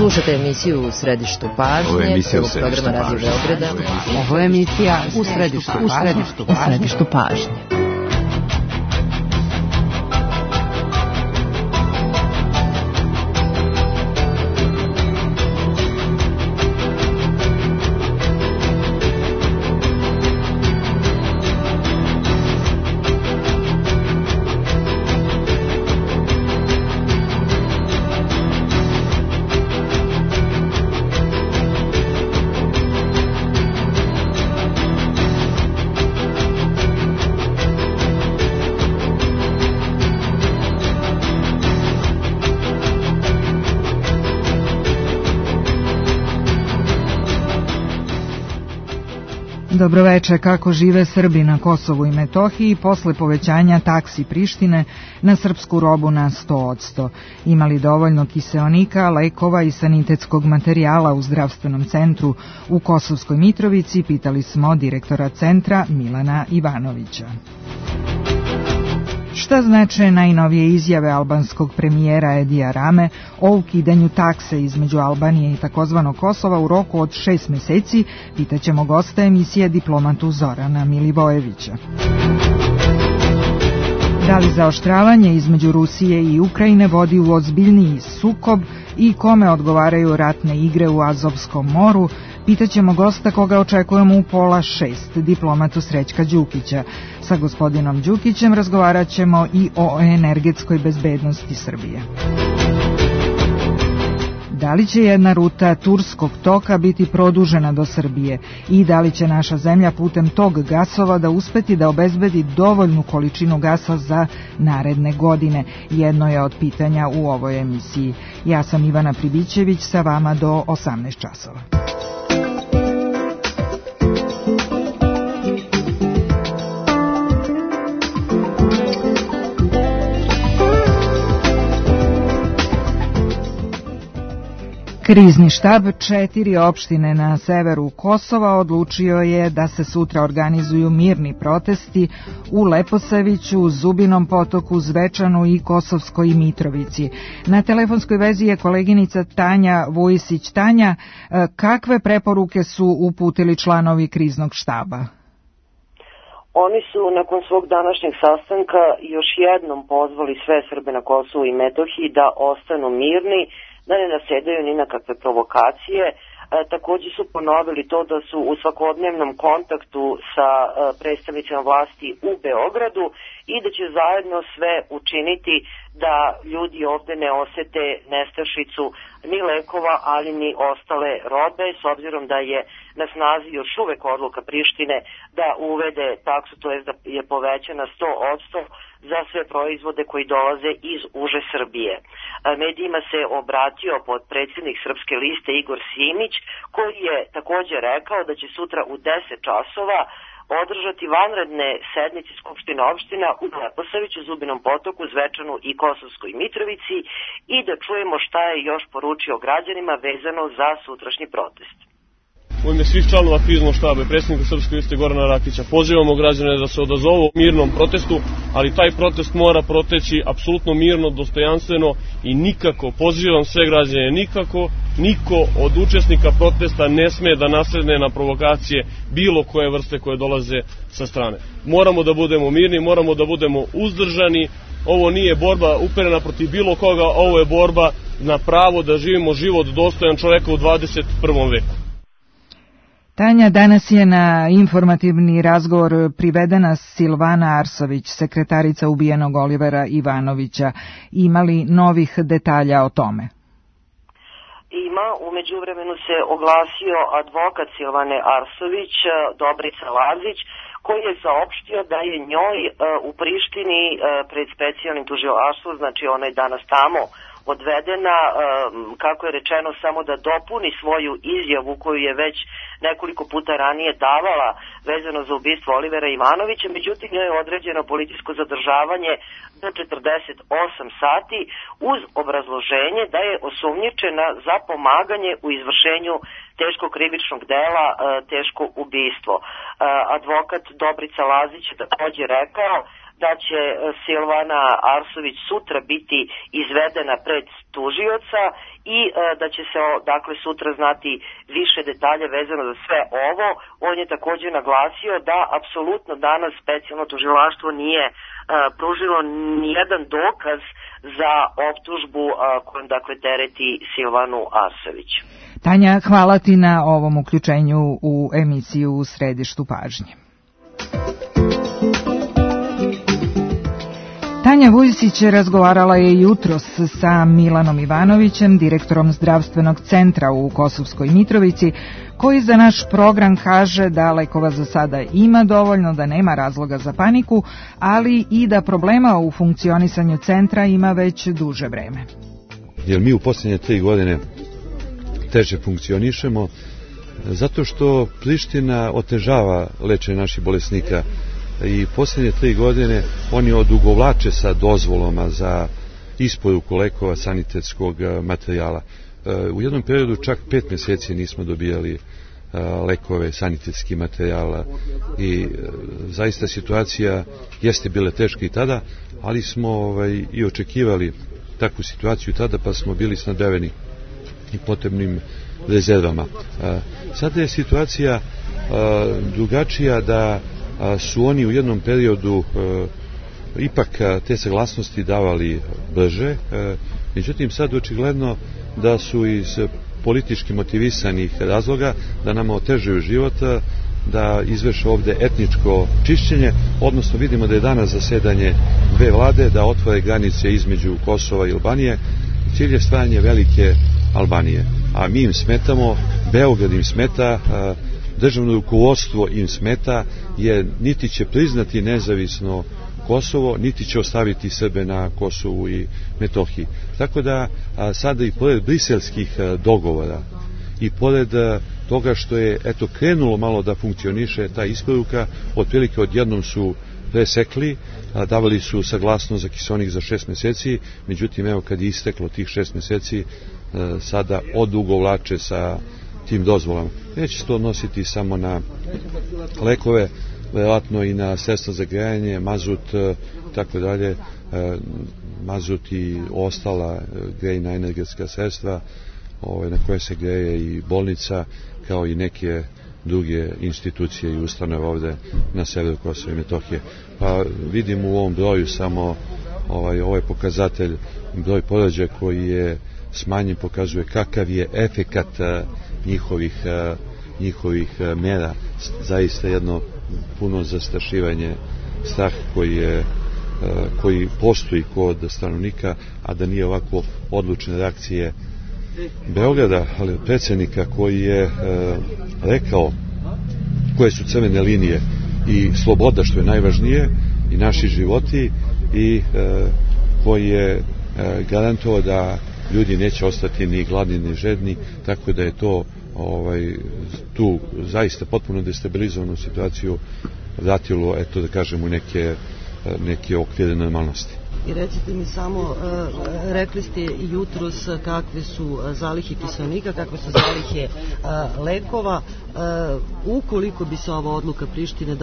Slušate emisiju U središtu pažnje, prvog programa Radio Beograda. Ovo je emisija U središtu pažnje. Dobroveče, kako žive Srbi na Kosovu i Metohiji posle povećanja taksi Prištine na srpsku robu na 100%. Ima li dovoljno kiseonika, lekova i sanitetskog materijala u zdravstvenom centru u Kosovskoj Mitrovici, pitali smo direktora centra Milana Ivanovića. Šta znače najnovije izjave albanskog premijera Edija Rame o ukidanju takse između Albanije i takozvanog Kosova u roku od 6 meseci, pitaćemo gosta emisije diplomatu Zorana Milivojevića. Da li zaoštravanje između Rusije i Ukrajine vodi u ozbiljniji sukob i kome odgovaraju ratne igre u Azovskom moru, pitaćemo gosta koga očekujemo u 5:30, diplomatu Srećka Đukića. Sa gospodinom Đukićem razgovarat ćemo i o energetskoj bezbednosti Srbije. Da li će jedna ruta Turskog toka biti produžena do Srbije i da li će naša zemlja putem tog gasovoda uspeti da obezbedi dovoljnu količinu gasa za naredne godine? Jedno je od pitanja u ovoj emisiji. Ja sam Ivana Pribićević, sa vama do 18 časova. Krizni štab 4 opštine na severu Kosova odlučio je da se sutra organizuju mirni protesti u Leposaviću, Zubinom Potoku, Zvečanu i Kosovskoj Mitrovici. Na telefonskoj vezi je koleginica Tanja Vujisić. Tanja, kakve preporuke su uputili članovi kriznog štaba? Oni su nakon svog današnjeg sastanka još jednom pozvali sve Srbe na Kosovu i Metohiji da ostanu mirni, da ne nasedaju ni na kakve provokacije. Također su ponovili to da su u svakodnevnom kontaktu sa predstavnicima vlasti u Beogradu i da će zajedno sve učiniti da ljudi ovde ne osete nestašicu ni lekova, ali ni ostale robe, s obzirom da je na snazi još uvek odluka Prištine da uvede taksu, to jest da je povećana 100% za sve proizvode koji dolaze iz uže Srbije. Medijima se obratio potpredsjednik Srpske liste Igor Simić, koji je također rekao da će sutra u 10 časova održati vanredne sednice Skupštine opština u Leposaviću, Zubinom Potoku, Zvečanu i Kosovskoj Mitrovici i da čujemo šta je još poručio građanima vezano za sutrašnji protest. U ime svih članova kriznog štaba i predsjednika Srpske liste Gorana Rakića pozivamo građane da se odazovu mirnom protestu, ali taj protest mora proteći apsolutno mirno, dostojanstveno i nikako, pozivam sve građane, niko od učesnika protesta ne sme da nasedne na provokacije bilo koje vrste koje dolaze sa strane. Moramo da budemo mirni, moramo da budemo uzdržani. Ovo nije borba uperena protiv bilo koga, ovo je borba na pravo da živimo život dostojan čoveka u 21. veku. Tanja, danas je na informativni razgovor privedena Silvana Arsović, sekretarica ubijenog Olivera Ivanovića. Ima li novih detalja o tome? Ima, u međuvremenu se oglasio advokat Silvane Arsović, Dobrica Lazić, koji je saopštio da je njoj u Prištini pred specijalnim tužilaštvom, znači ona je danas tamo odvedena, kako je rečeno, samo da dopuni svoju izjavu koju je već nekoliko puta ranije davala vezano za ubistvo Olivera Ivanovića, međutim njoj je određeno policijsko zadržavanje do 48 sati uz obrazloženje da je osumnjičena za pomaganje u izvršenju teškog krivičnog dela, teško ubistvo. Advokat Dobrica Lazić je također rekao da će Silvana Arsović sutra biti izvedena pred tužioca i da će se dakle sutra znati više detalja vezano za sve ovo. On je također naglasio da apsolutno danas specijalno tužilaštvo nije pružilo nijedan dokaz za optužbu kojom dakle tereti Silvanu Arsović. Tanja, hvala ti na ovom uključenju u emisiju U središtu pažnje. Tanja Vujsić razgovarala je jutros sa Milanom Ivanovićem, direktorom zdravstvenog centra u Kosovskoj Mitrovici, koji za naš program kaže da lekova za sada ima dovoljno, da nema razloga za paniku, ali i da problema u funkcionisanju centra ima već duže vreme. Jer mi u posljednje 3 godine teže funkcionišemo, zato što Priština otežava lečenje naših bolesnika i posljednje 3 godine oni odugovlače sa dozvolama za isporuku lekova, sanitetskog materijala. U jednom periodu čak 5 mjeseci nismo dobijali lekove, sanitetski materijala i zaista situacija jeste bila teška i tada, ali smo i očekivali takvu situaciju tada, pa smo bili snabdeveni i potrebnim rezervama. Sada je situacija drugačija, da su oni u jednom periodu ipak te saglasnosti davali brže, međutim sad očigledno da su iz politički motivisanih razloga da nama otežuju život, da izvrše ovdje etničko čišćenje, odnosno vidimo da je danas zasedanje 2 vlade, da otvore granice između Kosova i Albanije. Cilj je stvaranje velike Albanije, a mi im smetamo, Beograd im smeta, državno rukovodstvo im smeta, jer niti će priznati nezavisno Kosovo, niti će ostaviti Srbe na Kosovu i Metohiji. Tako da sada i pored briselskih dogovora i pored toga što je krenulo malo da funkcioniše ta isporuka, otprilike odjednom su presekli, davali su saglasnost za kiseonik za 6 mjeseci, međutim evo kad je isteklo tih 6 mjeseci sada odugovlače sa tim dozvolama. Neće se to odnositi samo na lekove, vjerojatno i na sredstva za grejanje, mazut, tako dalje, mazut i ostala grejna energetska sredstva na koje se greje i bolnica, kao i neke druge institucije i ustanove ovdje na severu Kosova i Metohije. Pa vidimo u ovom broju samo ovaj pokazatelj, broj porođaja koji je smanjen, pokazuje kakav je efekat njihovih mjera. Zaista jedno puno zastrašivanje, strah koji postoji kod stanovnika, a da nije ovako odlučne reakcije Beograda, ali predsjednika koji je rekao koje su crvene linije i sloboda, što je najvažnije, i naši životi, i koji je garantovao da ljudi neće ostati ni gladni ni žedni, tako da je to tu zaista potpuno destabilizovanu situaciju vratilo, da kažemo, neke okvire normalnosti. I recite mi samo, rekli ste jutros kakve su zalihe kiseonika, kakve su zalihe lekova. Ukoliko bi se ova odluka Prištine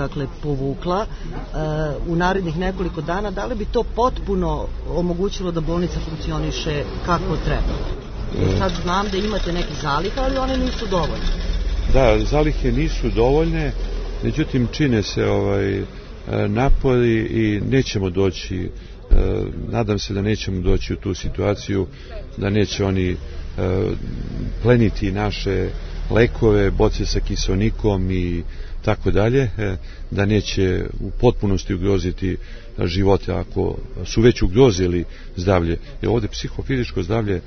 povukla u narednih nekoliko dana, da li bi to potpuno omogućilo da bolnica funkcioniše kako treba? Sad znam da imate neke zalihe, ali one nisu dovoljne. Da, zalihe nisu dovoljne, međutim čine se napori i nećemo doći, nadam se da nećemo doći u tu situaciju, da neće oni pleniti naše lekove, boce sa kiseonikom i tako dalje, da neće u potpunosti ugroziti živote ako su već ugrozili zdravlje. Jer ovdje psihofizičko zdravlje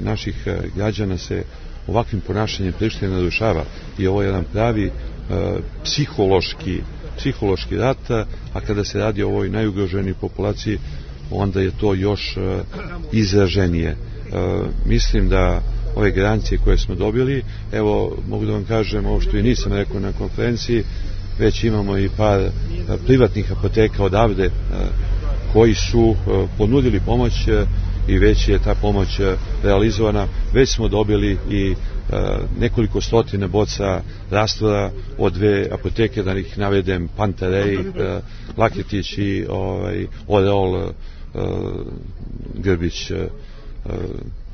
naših građana se ovakvim ponašanjem Prištine narušava i ovo je jedan pravi psihološki rat, a kada se radi o ovoj najugroženijoj populaciji, onda je to još izraženije. Mislim da ove garancije koje smo dobili, evo mogu da vam kažem ovo što i nisam rekao na konferenciji, već imamo i par privatnih apoteka odavde koji su ponudili pomoć i već je ta pomoć realizovana. Već smo dobili i nekoliko stotina boca rastvora od 2 apoteke, da ih navedem, Pantarej, Laketić i Oreol, Grbić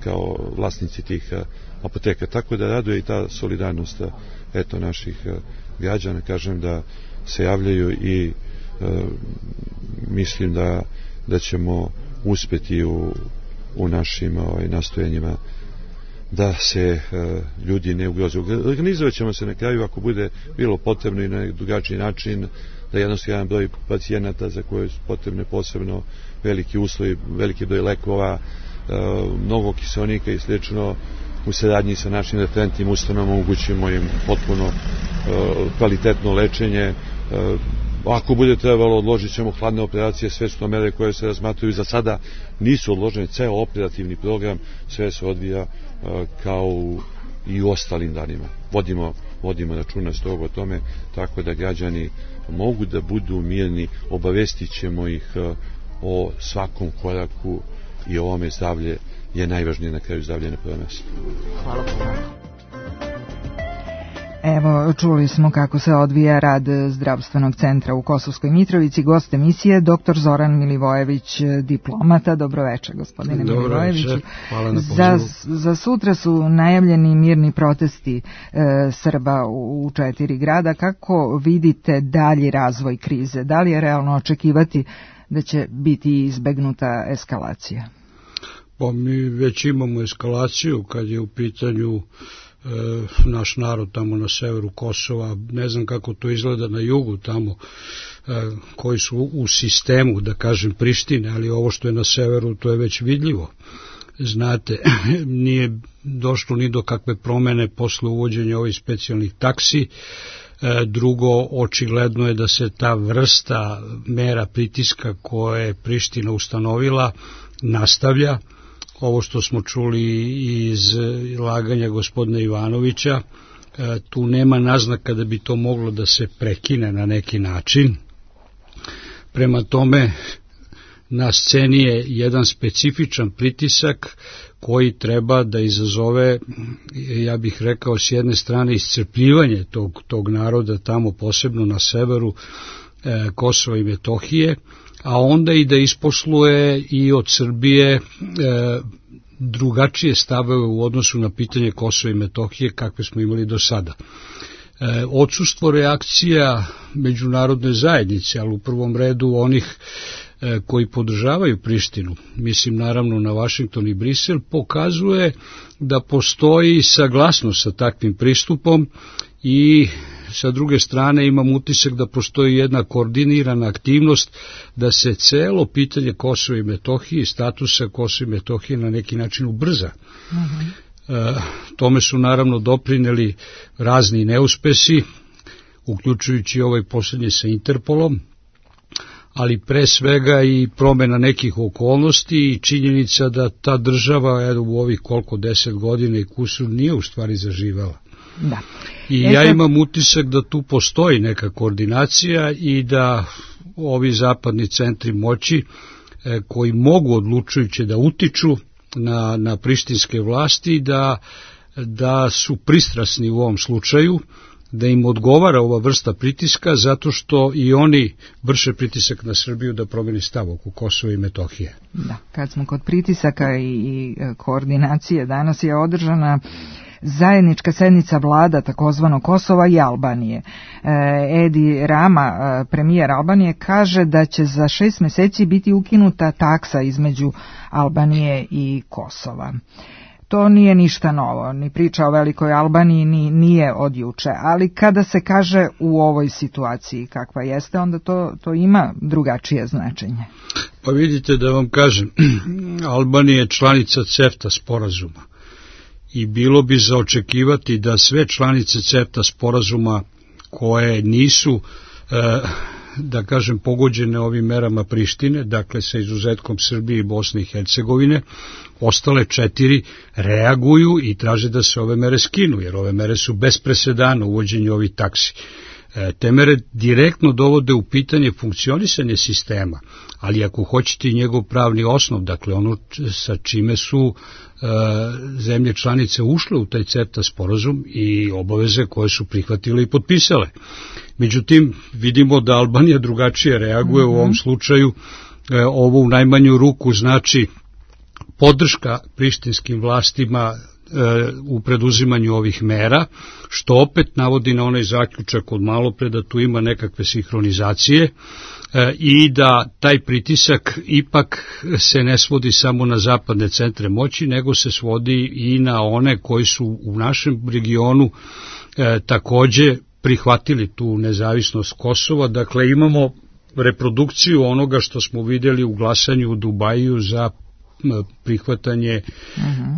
kao vlasnici tih apoteka. Tako da raduje i ta solidarnost naših građana, kažem, da se javljaju i mislim da ćemo uspeti u našim nastojanjima da se ljudi ne ugroze. Organizovat ćemo se na kraju, ako bude bilo potrebno, i na drugačiji način, da jednostavno broj pacijenata za koje su potrebne posebno veliki uslovi, veliki broj lekova, mnogo kiseonika i slično, u saradnji sa našim referentnim ustanovama omogućimo im potpuno kvalitetno lečenje. Ako bude trebalo, odložit ćemo hladne operacije, sve su to mere koje se razmatraju. Za sada nisu odložene, ceo operativni program, sve se odvija kao i u ostalim danima. Vodimo računa strogo o tome, tako da građani mogu da budu mirni, obavestit ćemo ih o svakom koraku i ovome. Zdravlje je najvažnije, na kraju zdravlje na prvo mesto. Hvala puno. Evo, čuli smo kako se odvija rad zdravstvenog centra u Kosovskoj Mitrovici. Gost emisije dr. Zoran Milivojević, diplomata. Dobroveče, gospodine Milivojević. Hvala na pozivu. Za sutra su najavljeni mirni protesti Srba u 4 grada. Kako vidite dalji razvoj krize? Da li je realno očekivati da će biti izbegnuta eskalacija? Pa mi već imamo eskalaciju kad je u pitanju naš narod tamo na severu Kosova. Ne znam kako to izgleda na jugu tamo, koji su u sistemu, da kažem, Prištine, ali ovo što je na severu, to je već vidljivo. Znate, nije došlo ni do kakve promene posle uvođenja ovih specijalnih taksi. Drugo, očigledno je da se ta vrsta mera pritiska koje je Priština ustanovila nastavlja. Ovo što smo čuli iz laganja gospodina Ivanovića, tu nema naznaka da bi to moglo da se prekine na neki način. Prema tome, na sceni je jedan specifičan pritisak koji treba da izazove, ja bih rekao, s jedne strane iscrpljivanje tog naroda tamo, posebno na severu Kosova i Metohije, a onda i da isposluje i od Srbije drugačije stavove u odnosu na pitanje Kosova i Metohije kakve smo imali do sada. Odsustvo reakcija međunarodne zajednice, ali u prvom redu onih koji podržavaju Prištinu, mislim naravno na Vašington i Brisel, pokazuje da postoji saglasnost sa takvim pristupom i sa druge strane imam utisak da postoji jedna koordinirana aktivnost da se celo pitanje Kosova i Metohije i statusa Kosova i Metohije na neki način ubrza. Tome su naravno doprineli razni neuspesi, uključujući ovaj posljednji sa Interpolom, ali pre svega i promena nekih okolnosti i činjenica da ta država u ovih 10 godina i kusur nije u stvari zaživela. Da. I ja imam utisak da tu postoji neka koordinacija i da ovi zapadni centri moći koji mogu odlučujuće da utiču na prištinske vlasti, da su pristrasni u ovom slučaju, da im odgovara ova vrsta pritiska, zato što i oni vrše pritisak na Srbiju da promeni stav oko Kosova i Metohije. Da, kad smo kod pritisaka i koordinacije, danas je održana zajednička sednica vlada takozvano Kosova i Albanije. Edi Rama, premijer Albanije, kaže da će za 6 meseci biti ukinuta taksa između Albanije i Kosova. To nije ništa novo, ni priča o velikoj Albaniji nije od juče, ali kada se kaže u ovoj situaciji kakva jeste, onda to ima drugačije značenje. Pa vidite, da vam kažem, Albanija je članica CEFTA sporazuma i bilo bi za očekivati da sve članice CEFTA sporazuma koje nisu, da kažem, pogođene ovim merama Prištine, dakle sa izuzetkom Srbije i Bosne i Hercegovine, ostale 4 reaguju i traže da se ove mere skinu, jer ove mere su bez presedana uvođenje ovih taksi. Te mere direktno dovode u pitanje funkcionisanje sistema, ali ako hoćete i njegov pravni osnov, dakle ono sa čime su zemlje članice ušle u taj CEFTA sporazum i obaveze koje su prihvatile i potpisale. Međutim, vidimo da Albanija drugačije reaguje u ovom slučaju. Ovo u najmanju ruku znači podrška prištinskim vlastima u preduzimanju ovih mera, što opet navodi na onaj zaključak od malopre da tu ima nekakve sinhronizacije i da taj pritisak ipak se ne svodi samo na zapadne centre moći, nego se svodi i na one koji su u našem regionu takođe prihvatili tu nezavisnost Kosova. Dakle, imamo reprodukciju onoga što smo vidjeli u glasanju u Dubaju za prihvatanje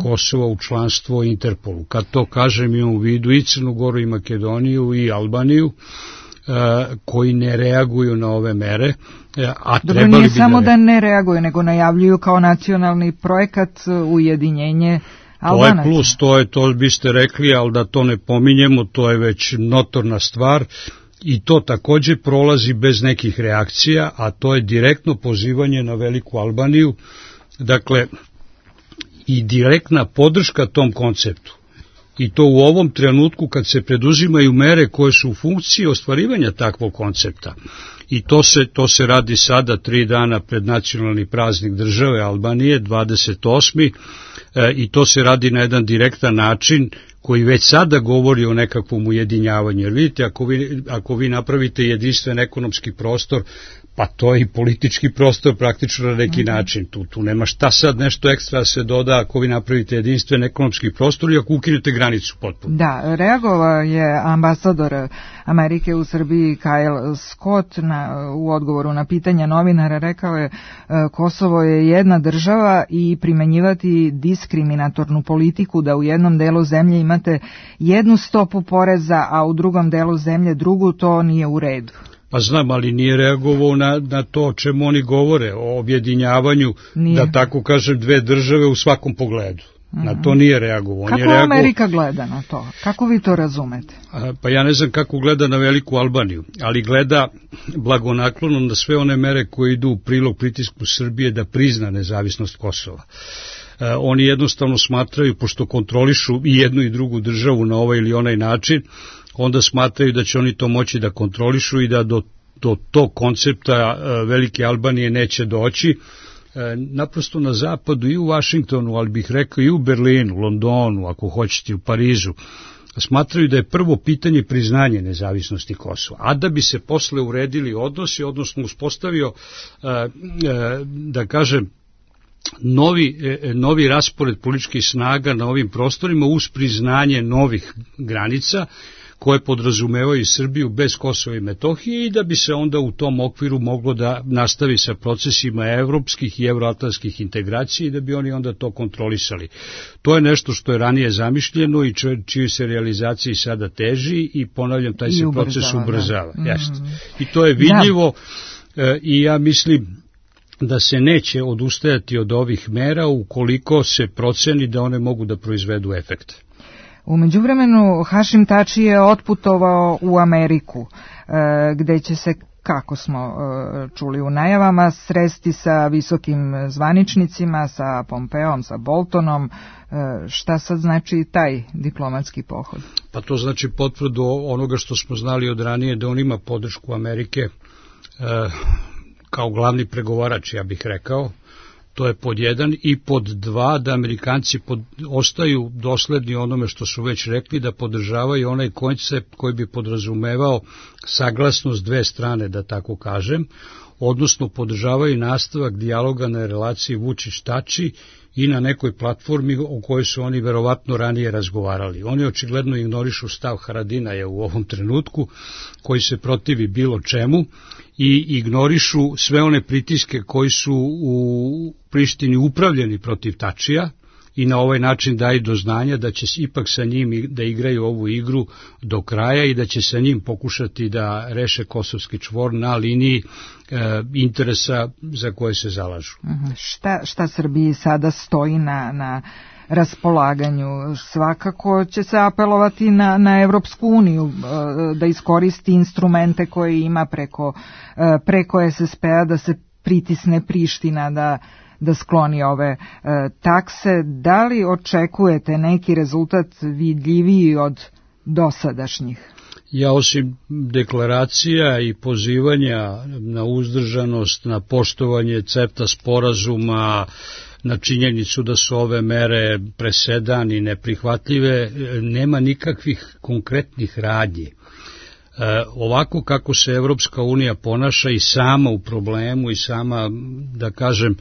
Kosova u članstvo Interpolu. Kad to kažem, imam u vidu i Crnu Goru i Makedoniju i Albaniju, koji ne reaguju na ove mere, a trebali bi... Nije samo da ne reaguju, nego najavljuju kao nacionalni projekat ujedinjenje Albanaca. To je plus, to biste rekli, ali da to ne pominjemo, to je već notorna stvar i to takođe prolazi bez nekih reakcija, a to je direktno pozivanje na Veliku Albaniju, dakle i direktna podrška tom konceptu. I to u ovom trenutku kad se preduzimaju mere koje su u funkciji ostvarivanja takvog koncepta. I to se radi sada 3 dana pred nacionalni praznik države Albanije, 28. I to se radi na jedan direktan način koji već sada govori o nekakvom ujedinjavanju. Jer vidite, ako vi napravite jedinstven ekonomski prostor, pa to je i politički prostor praktično na neki način. Tu nema šta sad nešto ekstra se doda ako vi napravite jedinstven ekonomski prostor i ako ukinete granicu potpuno. Da, reagovao je ambasador Amerike u Srbiji Kyle Scott u odgovoru na pitanja novinara, rekao je Kosovo je jedna država i primenjivati diskriminatornu politiku da u jednom delu zemlje imate jednu stopu poreza, a u drugom delu zemlje drugu, to nije u redu. Pa znam, ali nije reagovao na to o čemu oni govore, o objedinjavanju, da tako kažem, 2 države u svakom pogledu. Na to nije reagovao. Kako Amerika gleda na to? Kako vi to razumete? Pa ja ne znam kako gleda na Veliku Albaniju, ali gleda blagonaklono na sve one mere koje idu u prilog pritisku Srbije da prizna nezavisnost Kosova. Oni jednostavno smatraju, pošto kontrolišu i jednu i drugu državu na ovaj ili onaj način, onda smatraju da će oni to moći da kontrolišu i da do tog koncepta Velike Albanije neće doći. Naprosto na zapadu i u Vašingtonu, ali bih rekao i u Berlinu, Londonu, ako hoćete u Parizu, smatraju da je prvo pitanje priznanje nezavisnosti Kosova, a da bi se posle uredili odnosi, odnosno uspostavio, da kažem, novi raspored političkih snaga na ovim prostorima uz priznanje novih granica koje podrazumevaju Srbiju bez Kosova i Metohije i da bi se onda u tom okviru moglo da nastavi sa procesima evropskih i evroatlantskih integracija i da bi oni onda to kontrolisali. To je nešto što je ranije zamišljeno i čiji se realizaciji sada teži i ponavljam, taj se proces ubrzava. I to je vidljivo i ja mislim da se neće odustajati od ovih mera ukoliko se proceni da one mogu da proizvedu efekte. U međuvremenu Hašim Tači je otputovao u Ameriku, gde će se, kako smo čuli u najavama, sresti sa visokim zvaničnicima, sa Pompeom, sa Boltonom. Šta sad znači taj diplomatski pohod? Pa to znači potvrdu onoga što smo znali od ranije, da on ima podršku Amerike kao glavni pregovarač, ja bih rekao. To je pod 1 i pod 2 da Amerikanci ostaju dosledni onome što su već rekli, da podržavaju onaj koncept koji bi podrazumevao saglasnost 2 strane, da tako kažem, odnosno podržavaju nastavak dijaloga na relaciji Vučić-Tači i na nekoj platformi o kojoj su oni verovatno ranije razgovarali. Oni očigledno ignorišu stav Haradinaja u ovom trenutku, koji se protivi bilo čemu, i ignorišu sve one pritiske koji su u Prištini upravljeni protiv Tačija i na ovaj način daju do znanja da će ipak sa njim da igraju ovu igru do kraja i da će sa njim pokušati da reše kosovski čvor na liniji interesa za koje se zalažu. Šta Srbiji sada stoji na raspolaganju. Svakako će se apelovati na Evropsku uniju da iskoristi instrumente koje ima preko SSP-a da se pritisne Priština da skloni ove takse. Da li očekujete neki rezultat vidljiviji od dosadašnjih? Ja osim deklaracija i pozivanja na uzdržanost, na poštovanje CEFTA sporazuma, na činjenicu da su ove mere presedan i neprihvatljive, nema nikakvih konkretnih radnji. Ovako kako se Evropska unija ponaša i sama u problemu i sama, da kažem,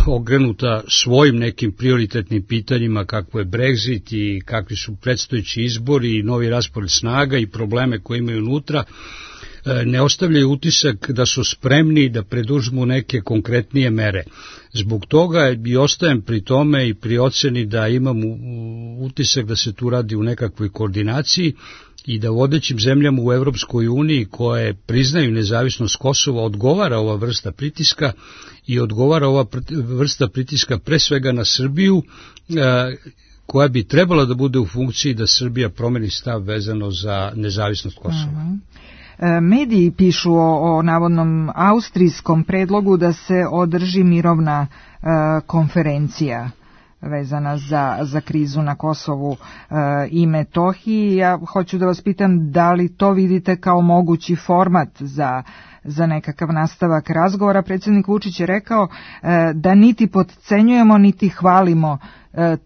ogrenuta svojim nekim prioritetnim pitanjima kakvo je Brexit i kakvi su predstojeći izbori i novi raspored snaga i probleme koje imaju unutra, ne ostavljaju utisak da su spremni da preduzmu neke konkretnije mere. Zbog toga i ostajem pri tome i pri oceni da imam utisak da se tu radi u nekakvoj koordinaciji i da vodećim zemljama u Evropskoj uniji koje priznaju nezavisnost Kosova odgovara ova vrsta pritiska i odgovara ova vrsta pritiska pre svega na Srbiju, koja bi trebala da bude u funkciji da Srbija promeni stav vezano za nezavisnost Kosova. Mediji pišu o navodnom austrijskom predlogu da se održi mirovna konferencija vezana za krizu na Kosovu i Metohiji. Ja hoću da vas pitam da li to vidite kao mogući format za nekakav nastavak razgovora. Predsjednik Vučić je rekao da niti potcenjujemo niti hvalimo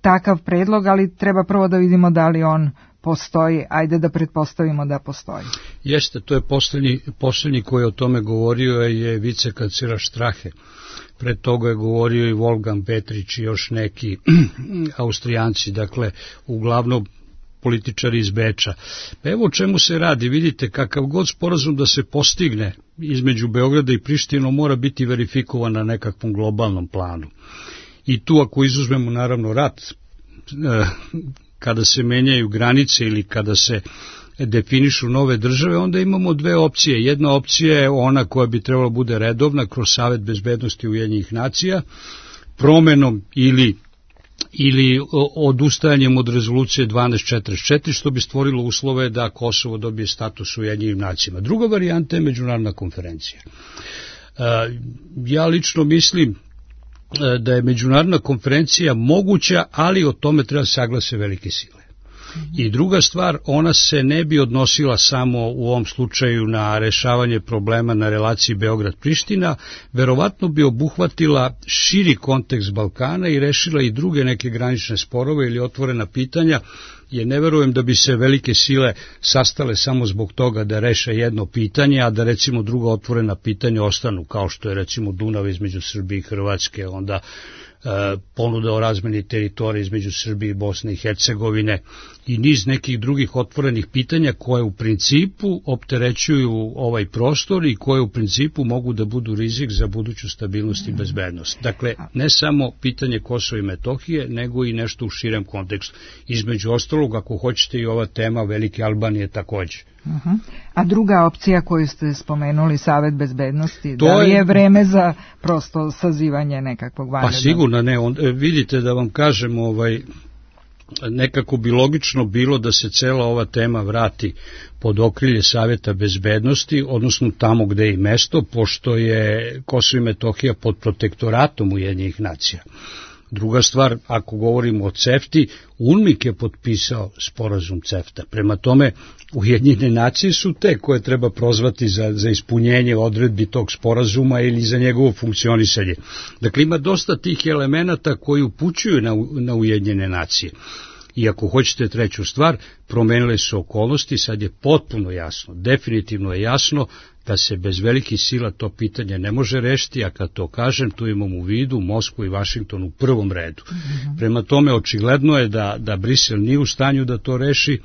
takav predlog, ali treba prvo da vidimo da li on postoji. Ajde da pretpostavimo da postoji. Jeste, to je posljednji koji je o tome govorio je vicekancler Strahe. Pred toga je govorio i Wolfgang Petrić i još neki Austrijanci, dakle uglavnom političari iz Beča. Pa evo o čemu se radi, vidite, kakav god sporazum da se postigne između Beograda i Prištine mora biti verifikovan na nekakvom globalnom planu. I tu ako izuzmemo naravno rat, kada se menjaju granice ili kada se definišu nove države, onda imamo dve opcije. Jedna opcija je ona koja bi trebala bude redovna kroz Savet bezbednosti Ujedinjenih nacija, promenom ili odustajanjem od rezolucije 1244, što bi stvorilo uslove da Kosovo dobije status u Ujedinjenim nacijama. Druga varijanta je međunarodna konferencija. Ja lično mislim da je međunarodna konferencija moguća, ali o tome treba saglase velike sile. I druga stvar, ona se ne bi odnosila samo u ovom slučaju na rešavanje problema na relaciji Beograd-Priština, verovatno bi obuhvatila širi kontekst Balkana i rešila i druge neke granične sporove ili otvorena pitanja, jer ne verujem da bi se velike sile sastale samo zbog toga da reše jedno pitanje, a da recimo druga otvorena pitanja ostanu, kao što je recimo Dunav između Srbije i Hrvatske, onda ponuda o razmeni teritorije između Srbije i Bosne i Hercegovine i niz nekih drugih otvorenih pitanja koje u principu opterećuju ovaj prostor i koje u principu mogu da budu rizik za buduću stabilnost i bezbednost. Dakle, ne samo pitanje Kosova i Metohije, nego i nešto u širem kontekstu. Između ostalog, ako hoćete, i ova tema Velike Albanije takođe. A druga opcija koju ste spomenuli, Savet bezbednosti, da li je vreme za prosto sazivanje nekakvog vanrednog? Pa sigurno ne, vidite da vam kažem, nekako bi logično bilo da se cela ova tema vrati pod okrilje Saveta bezbednosti, odnosno tamo gde je i mesto, pošto je Kosovo i Metohija pod protektoratom Ujedinjenih nacija. Druga stvar, ako govorimo o CEFTA-i, UNMIK je potpisao sporazum CEFTA. Prema tome, Ujedinjene nacije su te koje treba prozvati za ispunjenje odredbi tog sporazuma ili za njegovo funkcionisanje. Dakle, ima dosta tih elemenata koji upućuju na Ujedinjene nacije. I ako hoćete treću stvar, promenile su okolnosti, sad je potpuno jasno, definitivno je jasno da se bez velikih sila to pitanje ne može rešiti, a kad to kažem, tu imam u vidu Moskvu i Vašington u prvom redu. Prema tome, očigledno je da Brisel nije u stanju da to reši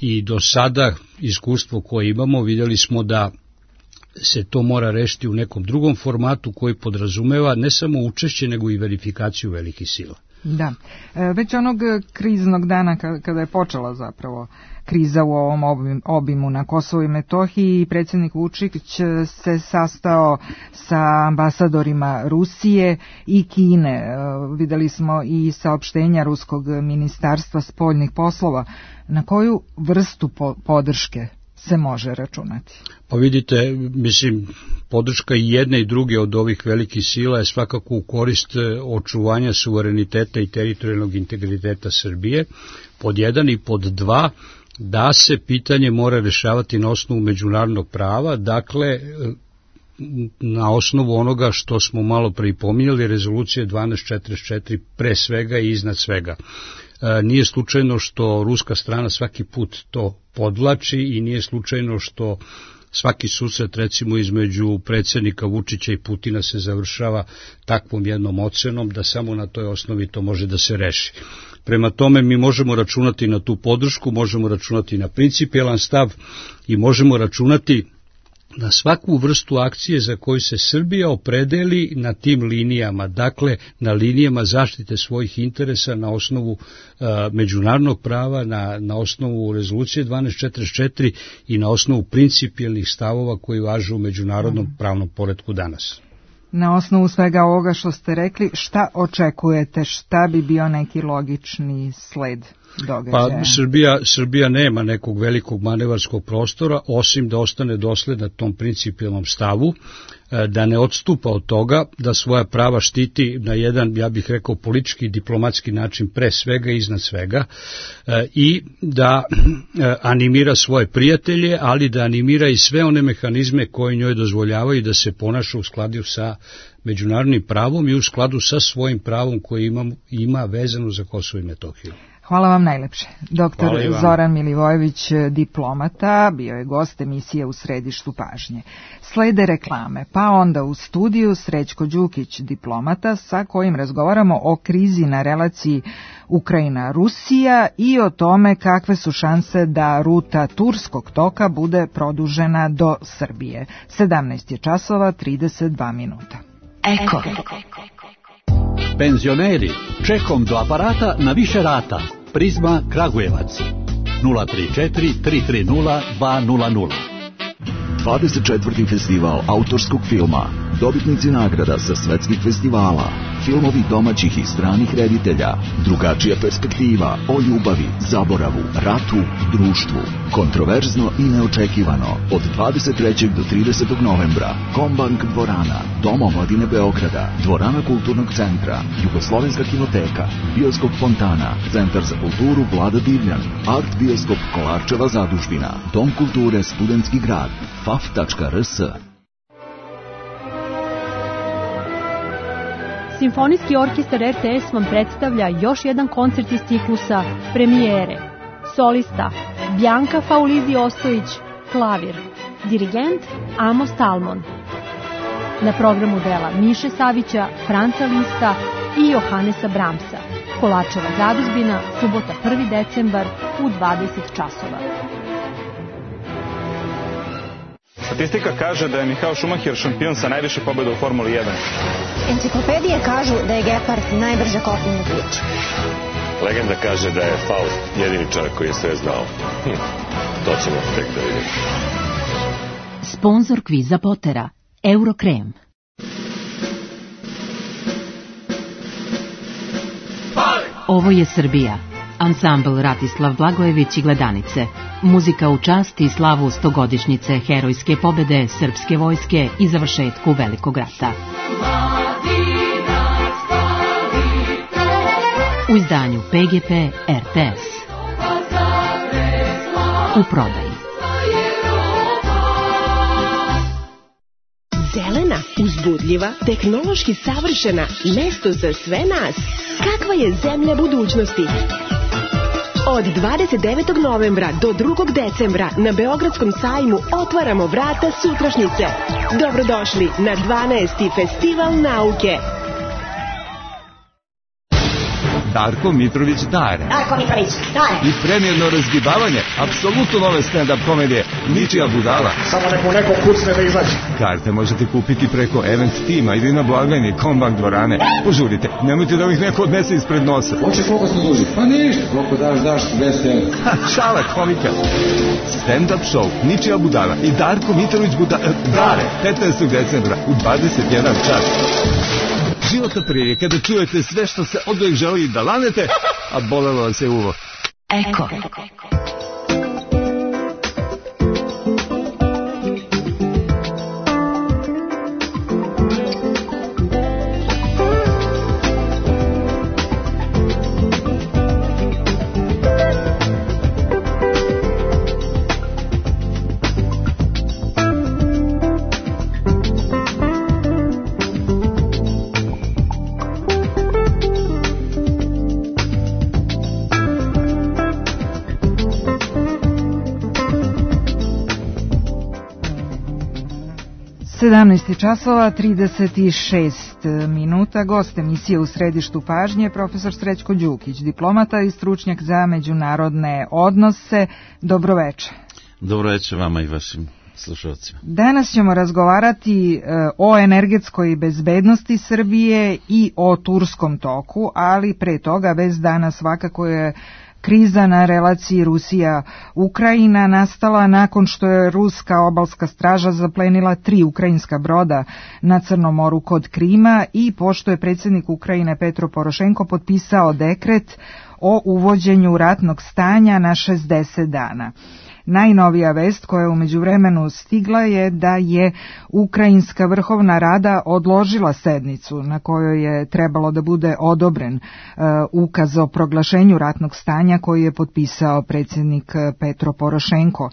i do sada iskustvo koje imamo, vidjeli smo da se to mora rešiti u nekom drugom formatu koji podrazumeva ne samo učešće, nego i verifikaciju velikih sila. Da, već onog kriznog dana kada je počela zapravo kriza u ovom obimu na Kosovu i Metohiji i predsjednik Vučić se sastao sa ambasadorima Rusije i Kine. Videli smo i saopštenja Ruskog ministarstva spoljnih poslova. Na koju vrstu podrške se može računati? Pa vidite, mislim, podrška i jedne i druge od ovih velikih sila je svakako u korist očuvanja suvereniteta i teritorijalnog integriteta Srbije, pod jedan, i pod dva, da se pitanje mora rešavati na osnovu međunarodnog prava, dakle, na osnovu onoga što smo malo pripominjali, rezolucije 1244 pre svega i iznad svega. Nije slučajno što ruska strana svaki put to podvlači i nije slučajno što svaki susret, recimo, između predsjednika Vučića i Putina se završava takvom jednom ocenom da samo na toj osnovi to može da se reši. Prema tome mi možemo računati na tu podršku, možemo računati na principijelan stav i možemo računati na svaku vrstu akcije za koju se Srbija opredeli na tim linijama, dakle na linijama zaštite svojih interesa na osnovu međunarodnog prava, na osnovu rezolucije 1244 i na osnovu principijelnih stavova koji važe u međunarodnom pravnom poretku danas. Na osnovu svega ovoga što ste rekli, šta očekujete, šta bi bio neki logični sled događaja? Pa Srbija nema nekog velikog manevarskog prostora, osim da ostane dosledna tom principijelnom stavu, da ne odstupa od toga, da svoja prava štiti na jedan, ja bih rekao, politički i diplomatski način pre svega i iznad svega, i da animira svoje prijatelje, ali da animira i sve one mehanizme koji njoj dozvoljavaju da se ponaša u skladu sa međunarodnim pravom i u skladu sa svojim pravom koji ima vezano za Kosovo i Metohiju. Hvala vam najlepše. Doktor Zoran Milivojević, diplomata, bio je gost emisije U središtu pažnje. Slede reklame, pa onda u studiju Srećko Đukić, diplomata, sa kojim razgovaramo o krizi na relaciji Ukrajina-Rusija i o tome kakve su šanse da ruta Turskog toka bude produžena do Srbije. 17 je časova, 32 minuta. Eko. Penzioneri, čekom do aparata na više rata. Prizma Kragujevac 034 330 200. 24. festival autorskog filma, dobitnici nagrada sa svetskih festivala, filmovi domaćih i stranih reditelja, drugačija perspektiva o ljubavi, zaboravu, ratu, društvu, kontroverzno i neočekivano, od 23. do 30. novembra, Kombank dvorana, Dom omladine Beograda, dvorana Kulturnog centra, Jugoslovenska kinoteka, Bioskop Fontana, Centar za kulturu Vlada Divljan, Art Bioskop Kolarčeva zadužbina, Dom kulture Studentski grad, faf.rs. Simfonijski orkestar RTS vam predstavlja još jedan koncert iz ciklusa Premijere. Solista Bjanka Faulizi Ostojić, klavir. Dirigent Amos Talmon. Na programu dela Miše Savića, Franca Lista i Johanesa Bramsa. Kolarčeva zadužbina, subota 1. decembar u 20 časova. Statistika kaže da je Michael Schumacher šampion sa najviše pobjeda u Formuli 1. Enciklopedije kažu da je Gepard najbrža kopnena priča. Legenda kaže da je Faust jedini čovjek koji je sve znao. To ćemo tek da vidimo. Sponzor kviza Potera, Eurokrem. Ovo je Srbija. Ansambl Ratislav Blagojević i Gledanice. Muzika u čast i slavu 100-godišnjice herojske pobede srpske vojske i završetku Velikog rata. U izdanju PGP RTS. U prodaji. Zelena, uzbudljiva, tehnološki savršena, mesto za sve nas. Kakva je zemlja budućnosti? Od 29. novembra do 2. decembra na Beogradskom sajmu otvaramo vrata sutrašnjice. Dobrodošli na 12. festival nauke. Darko Mitrović Dare. Darko Mitrović Dare. I premijerno razgibavanje apsolutno nove stand-up komedije Ničija budala. Samo neko kucne da izađe. Karte možete kupiti preko Event Tima ili na blagajni Kombank dvorane. Požurite, nemojte da ih neko odnese ispred nosa. Hoćeš koliko smo duži? Pa ništa, koliko daš 200 €. Šala komika. Stand-up show Ničija budala i Darko Mitrović Dare 15. decembra u 21 čas. Životna prilika kada čujete sve što se oduvijek želi da lanete, a bolelo vas je uvo. Eko. 17 časova 36 minuta. Gost emisije U središtu pažnje profesor Srećko Đukić, diplomata i stručnjak za međunarodne odnose. Dobroveče. Dobroveče vama i vašim slušalcima. Danas ćemo razgovarati o energetskoj bezbednosti Srbije i o Turskom toku, ali pre toga vez dana svakako je kriza na relaciji Rusija-Ukrajina nastala nakon što je ruska obalska straža zaplenila 3 ukrajinska broda na Crnom moru kod Krima i pošto je predsjednik Ukrajine Petro Porošenko potpisao dekret o uvođenju ratnog stanja na 60 dana. Najnovija vest koja je u međuvremenu stigla je da je Ukrajinska vrhovna rada odložila sednicu na kojoj je trebalo da bude odobren ukaz o proglašenju ratnog stanja koji je potpisao predsjednik Petro Porošenko.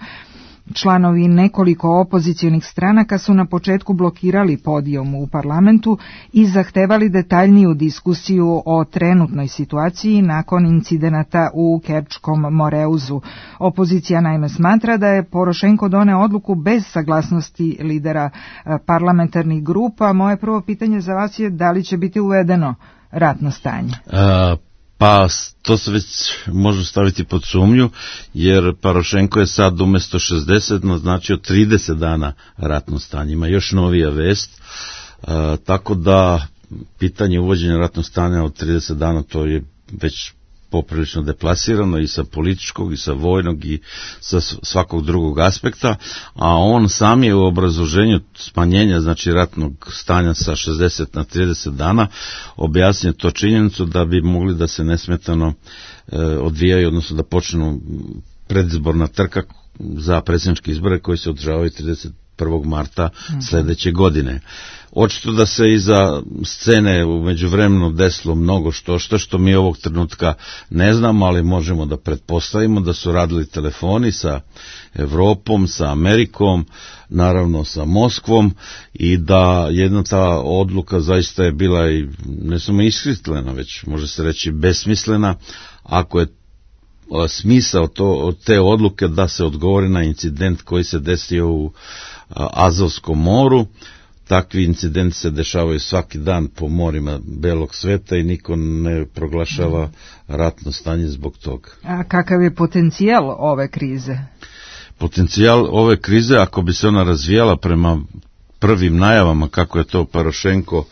Članovi nekoliko opozicionih stranaka su na početku blokirali podijum u parlamentu i zahtevali detaljniju diskusiju o trenutnoj situaciji nakon incidenata u Kerčkom Moreuzu. Opozicija naime smatra da je Porošenko doneo odluku bez saglasnosti lidera parlamentarnih grupa. Moje prvo pitanje za vas je da li će biti uvedeno ratno stanje? Pa to se već može staviti pod sumnju, jer Porošenko je sad umjesto 60 naznačio 30 dana ratno stanje. Ima još novija vest, tako da pitanje uvođenja ratnog stanja od 30 dana to je već poprilično deplasirano i sa političkog i sa vojnog i sa svakog drugog aspekta, a on sam je u obrazloženju smanjenja znači ratnog stanja sa 60 na 30 dana objasnio to činjenicu da bi mogli da se nesmetano odvijaju, odnosno da počnu predizborna trka za predsjedničke izbore koji se održavaju 31. marta sljedeće godine. Očito da se iza scene u međuvremenu desilo mnogo što mi ovog trenutka ne znamo, ali možemo da pretpostavimo da su radili telefoni sa Evropom, sa Amerikom, naravno sa Moskvom i da jedna ta odluka zaista je bila i ne samo ishitrena, već može se reći besmislena, ako je smisao te odluke da se odgovori na incident koji se desio u Azovskom moru. Takvi incidenti se dešavaju svaki dan po morima belog sveta i niko ne proglašava ratno stanje zbog toga. A kakav je potencijal ove krize? Potencijal ove krize, ako bi se ona razvijala prema prvim najavama kako je to Porošenko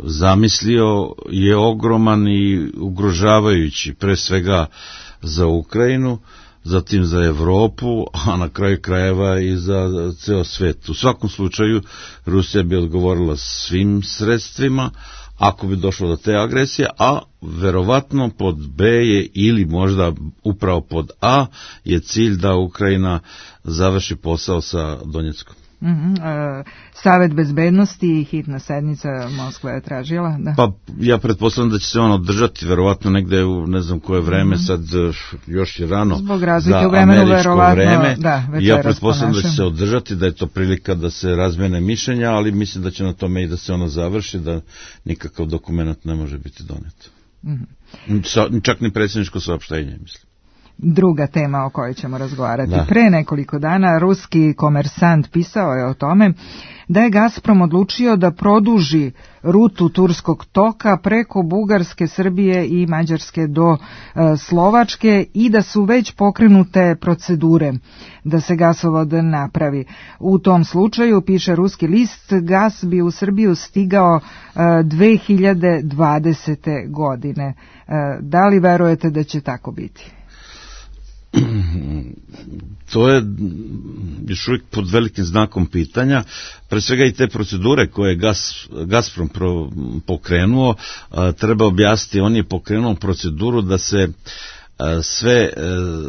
zamislio, je ogroman i ugrožavajući pre svega za Ukrajinu, zatim za Evropu, a na kraju krajeva i za ceo svet. U svakom slučaju Rusija bi odgovorila svim sredstvima ako bi došlo do te agresije, a verovatno pod B je ili možda upravo pod A je cilj da Ukrajina završi posao sa Donjeckom. Savet bezbednosti i hitna sednica Moskva je tražila? Da. Pa ja pretpostavljam da će se on održati verovatno negde u ne znam koje vreme, sad još je rano zbog razlike u vremenu verovatno vreme. Ja pretpostavljam da će se održati, da je to prilika da se razmene mišljenja, ali mislim da će na tome i da se ono završi, da nikakav dokument ne može biti donet. Čak ni predsjedničko saopštenje, mislim. druga tema o kojoj ćemo razgovarati. Da. Pre nekoliko dana ruski Komersant pisao je o tome da je Gazprom odlučio da produži rutu Turskog toka preko Bugarske, Srbije i Mađarske do Slovačke i da su već pokrenute procedure da se gasovod napravi. U tom slučaju, piše ruski list, gas bi u Srbiju stigao 2020. godine. Da li verujete da će tako biti? To je još uvijek pod velikim znakom pitanja. Pre svega i te procedure koje je Gazprom pokrenuo, treba objasniti, on je pokrenuo proceduru da se sve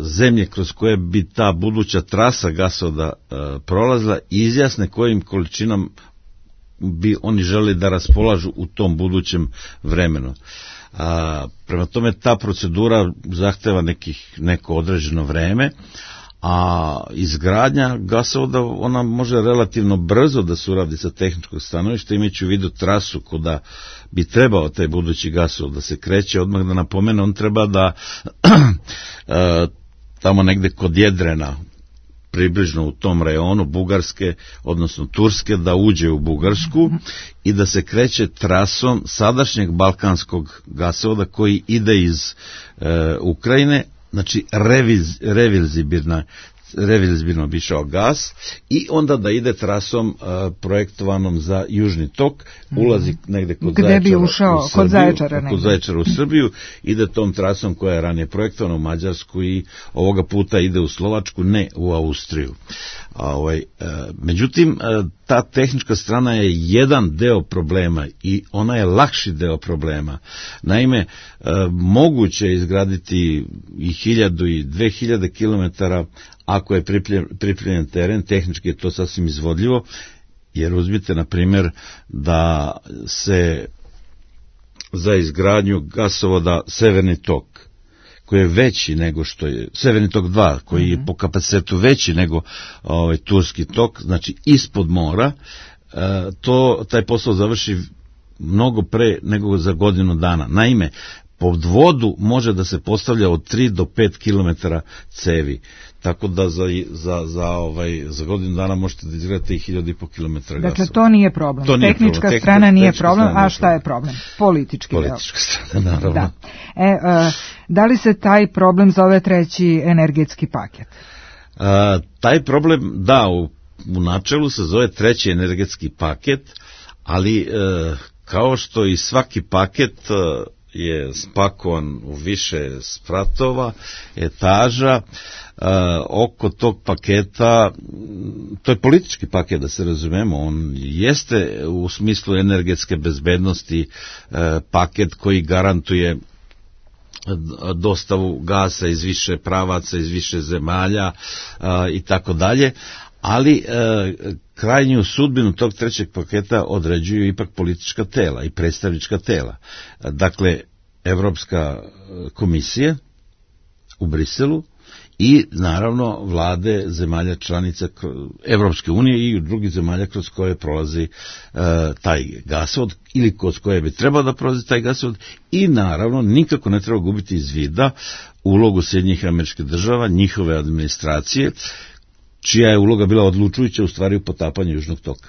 zemlje kroz koje bi ta buduća trasa gasovoda prolazila izjasne kojim količinom bi oni želi da raspolažu u tom budućem vremenu. Prema tome ta procedura zahteva neko određeno vreme, a izgradnja gasovoda ona može relativno brzo da se uradi sa tehničkog stanovišta, imajući u vidu trasu kuda bi trebao taj budući gasovod da se kreće. Odmah da napomene, on treba da tamo negde kod Jedrena, približno u tom rejonu Bugarske, odnosno Turske, da uđe u Bugarsku i da se kreće trasom sadašnjeg balkanskog gasovoda koji ide iz Ukrajine, znači reverzibilno bi išao gas i onda da ide trasom projektovanom za južni tok, ulazi negde kod Zaječara u Srbiju, ide tom trasom koja je ranije projektovana u Mađarsku i ovoga puta ide u Slovačku, ne u Austriju. Međutim, ta tehnička strana je jedan deo problema i ona je lakši deo problema. Naime, moguće je izgraditi i 1000 i 2000 kilometara ako je pripremljen teren, tehnički je to sasvim izvodljivo, jer uzmite na primjer da se za izgradnju gasovoda Severni tok, koji je veći nego što je Severni tok 2, koji je po kapacitetu veći nego Turski tok, znači ispod mora, taj posao završi mnogo pre nego za godinu dana. Naime, pod vodu može da se postavlja od 3 do 5 kilometara cevi, tako da za godinu dana možete da izgledate i 1500 kilometara gasova. Dakle, to nije problem. Tehnička strana nije problem, a šta je problem? Politička strana, naravno. Da li se taj problem zove treći energetski paket? Taj problem, da, u načelu se zove treći energetski paket, ali kao što i svaki paket je spakovan u više spratova, etaža, oko tog paketa, to je politički paket, da se razumemo, on jeste u smislu energetske bezbednosti paket koji garantuje dostavu gasa iz više pravaca, iz više zemalja i tako dalje, ali krajnju sudbinu tog trećeg paketa određuju ipak politička tela i predstavnička tela. Dakle, Evropska komisija u Briselu i naravno vlade zemalja članica Evropske unije i drugih zemalja kroz koje prolazi taj gasovod ili kroz koje bi trebao da prolazi taj gasovod i naravno nikako ne treba gubiti iz vida ulogu Sjedinjenih Američkih Država, njihove administracije, čija je uloga bila odlučujuća u stvari u potapanju južnog toka.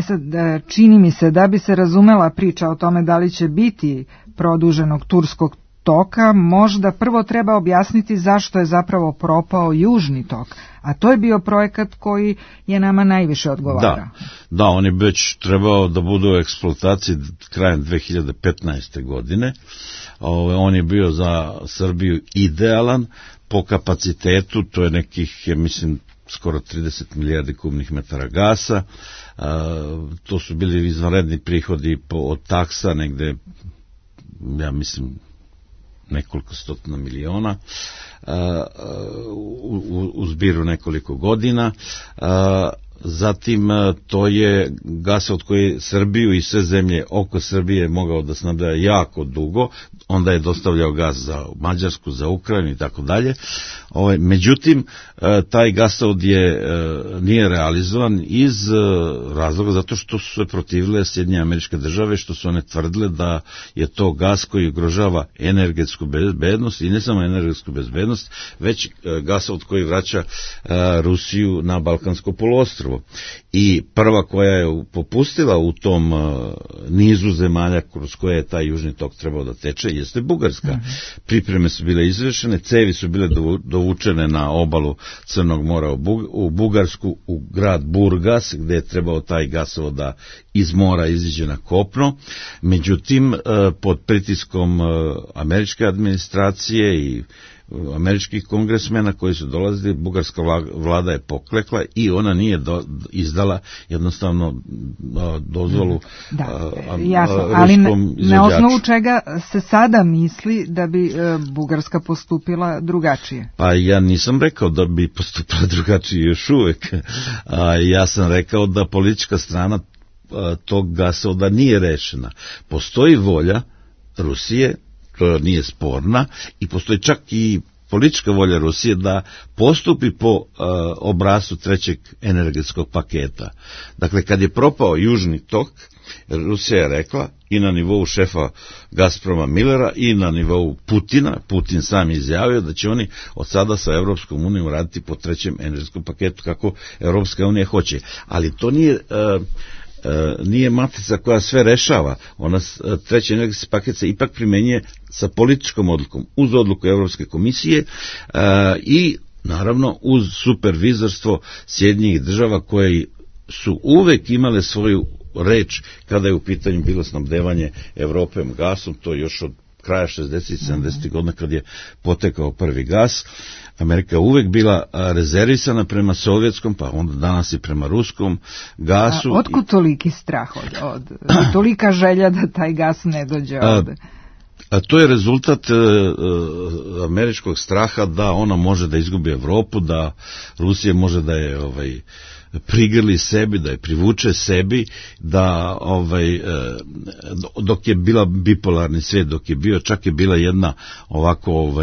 Sad, čini mi se da bi se razumela priča o tome da li će biti produženog turskog toka, možda prvo treba objasniti zašto je zapravo propao južni tok, a to je bio projekat koji je nama najviše odgovarao. Da, on je već trebao da bude u eksploataciji krajem 2015. godine. On je bio za Srbiju idealan po kapacitetu, to je nekih, mislim, skoro 30 milijardi kubnih metara gasa, to su bili izvanredni prihodi od taksa, negde, ja mislim, nekoliko stotina miliona u zbiru nekoliko godina. Zatim to je gasovod koji Srbiju i sve zemlje oko Srbije mogao da snabdeva jako dugo, onda je dostavljao gas za Mađarsku, za Ukrajinu i tako dalje. Međutim, taj gasovod nije realizovan iz razloga zato što su se protivile Sjedinjene Američke Države, što su one tvrdile da je to gas koji ugrožava energetsku bezbednost i ne samo energetsku bezbednost, već gasovod koji vraća Rusiju na Balkansko poluostrvo. I prva koja je popustila u tom nizu zemalja kroz koje je taj južni tok trebao da teče jeste Bugarska. Pripreme su bile izvršene, cevi su bile dovučene na obalu Crnog mora u Bugarsku, u grad Burgas, gde je trebao taj gasovod da iz mora iziđe na kopno. Međutim, pod pritiskom američke administracije i američkih kongresmena koji su dolazili, bugarska vlada je poklekla i ona nije izdala jednostavno dozvolu ruskom izvođaču. Na osnovu čega se sada misli da bi Bugarska postupila drugačije? Pa ja nisam rekao da bi postupila drugačije još uvek. Ja sam rekao da politička strana tog gasovoda nije rešena. Postoji volja Rusije, to nije sporna, i postoji čak i politička volja Rusije da postupi po obrascu trećeg energetskog paketa. Dakle, kad je propao južni tok, Rusija je rekla i na nivou šefa Gazproma Millera i na nivou Putina, Putin sam izjavio da će oni od sada sa Evropskom unijom raditi po trećem energetskom paketu kako Evropska unija hoće. Ali to nije matrica koja sve rešava. Treći energetski paket se ipak primenjuje sa političkom odlukom, uz odluku Evropske komisije i naravno uz supervizorstvo Sjedinjenih Država koje su uvek imale svoju reč kada je u pitanju bilo snabdevanje Evrope gasom, to još od kraja 60. i 70. godina kad je potekao prvi gas. Amerika uvek bila rezervisana prema sovjetskom, pa onda danas i prema ruskom gasu. Otkud toliki strah tolika želja da taj gas ne dođe ovde? To je rezultat američkog straha da ona može da izgubi Evropu, da Rusija može da je prigrli sebi, da je privuče sebi, da dok je bila bipolarni svijet, dok je bio, čak je bila jedna ovako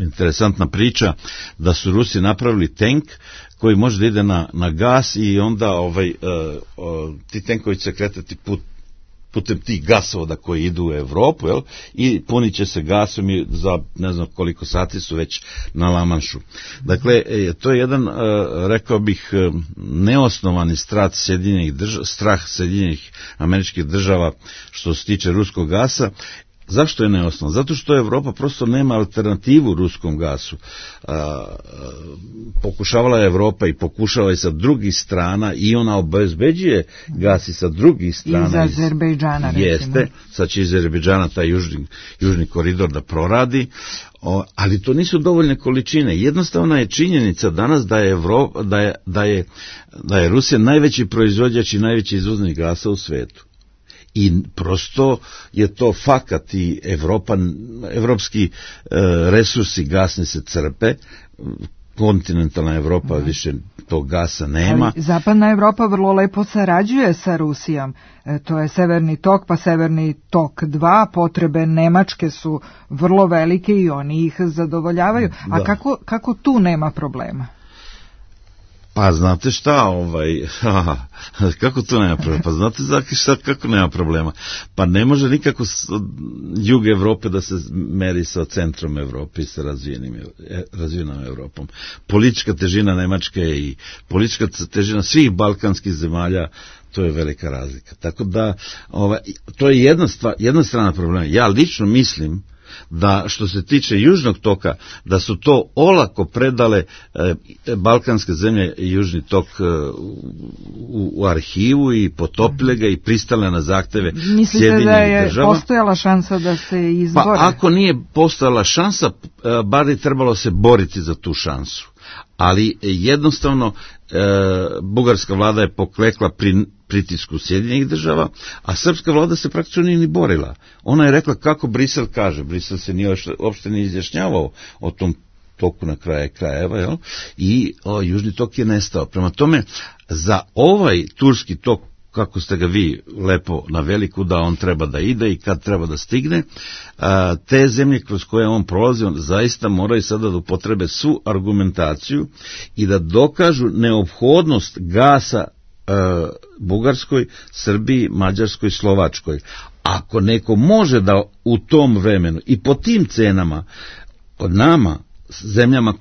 interesantna priča da su Rusi napravili tank koji može da ide na gas i onda ti tenkovi će se kretati putem tih gasovoda koji idu u Evropu, i punit će se gasom i za ne znam koliko sati su već na Lamanšu. Dakle, to je jedan, rekao bih, neosnovani strah Sjedinjenih Američkih Država što se tiče ruskog gasa. Zašto je neosnovan? Zato što Evropa prosto nema alternativu ruskom gasu. Pokušavala je Evropa i pokušava i sa drugih strana i ona obezbeđuje gas i sa drugih strana. Iz Azerbejdžana, recimo. Jeste, sad će iz Azerbejdžana taj južni koridor da proradi, ali to nisu dovoljne količine. Jednostavna je činjenica danas da je Rusija najveći proizvođač i najveći izvoznik gasa u svetu. I prosto je to fakat i evropski resursi gasni se crpe, kontinentalna Evropa više tog gasa nema. Ali zapadna Evropa vrlo lepo sarađuje sa Rusijom. To je Severni tok, pa Severni tok 2, potrebe Nemačke su vrlo velike i oni ih zadovoljavaju. A kako tu nema problema? Pa znate šta, kako to nema problema? Pa znate kako nema problema? Pa ne može nikako jug Evrope da se meri sa centrom Evrope i sa razvijenom Evropom. Politička težina Nemačke i politička težina svih balkanskih zemalja, to je velika razlika. Tako da, to je jedna strana problema. Ja lično mislim da što se tiče južnog toka, da su to olako predale balkanske zemlje i južni tok u arhivu i potopile ga i pristale na zahteve Sjedinjenih Država. Mislite da je postojala šansa da se izbore? Pa ako nije postojala šansa, bar je trebalo se boriti za tu šansu. Ali jednostavno bugarska vlada je poklekla pri pritisku Sjedinjenih Država, a srpska vlada se praktično nije ni borila. Ona je rekla kako Brisel kaže. Brisel se nije uopšte ni izjašnjavao o tom toku na krajeva, jel? I južni tok je nestao. Prema tome, za ovaj turski tok, kako ste ga vi lepo naveli, kuda on treba da ide i kad treba da stigne, te zemlje kroz koje on prolazi, on zaista moraju sada da upotrebe svu argumentaciju i da dokažu neophodnost gasa Bugarskoj, Srbiji, Mađarskoj, Slovačkoj. Ako neko može da u tom vremenu i po tim cenama od nama, zemljama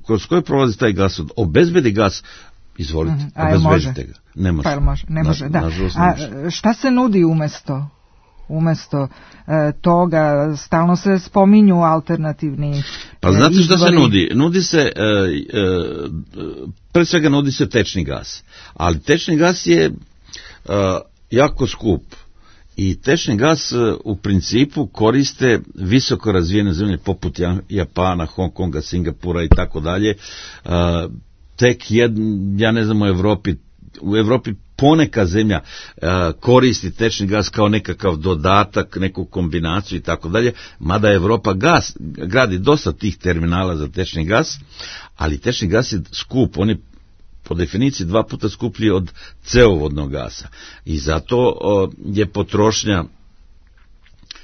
kroz koje prolazi taj gas, obezbedi gas, izvolite, obezbedite ga. Ne može. Ne može, da. A šta se nudi umesto toga? Stalno se spominju alternativni pa znate šta se nudi? Nudi se, pre svega nudi se tečni gas. Ali tečni gas je jako skup. I tečni gas u principu koriste visoko razvijene zemlje poput Japana, Hong Konga, Singapura i tako dalje. Tek ja ne znam u Evropi poneka zemlja koristi tečni gas kao nekakav dodatak, neku kombinaciju i tako dalje, mada Evropa gradi dosta tih terminala za tečni gas, ali tečni gas je skup, on je po definiciji 2 puta skuplji od ceovodnog gasa i zato je potrošnja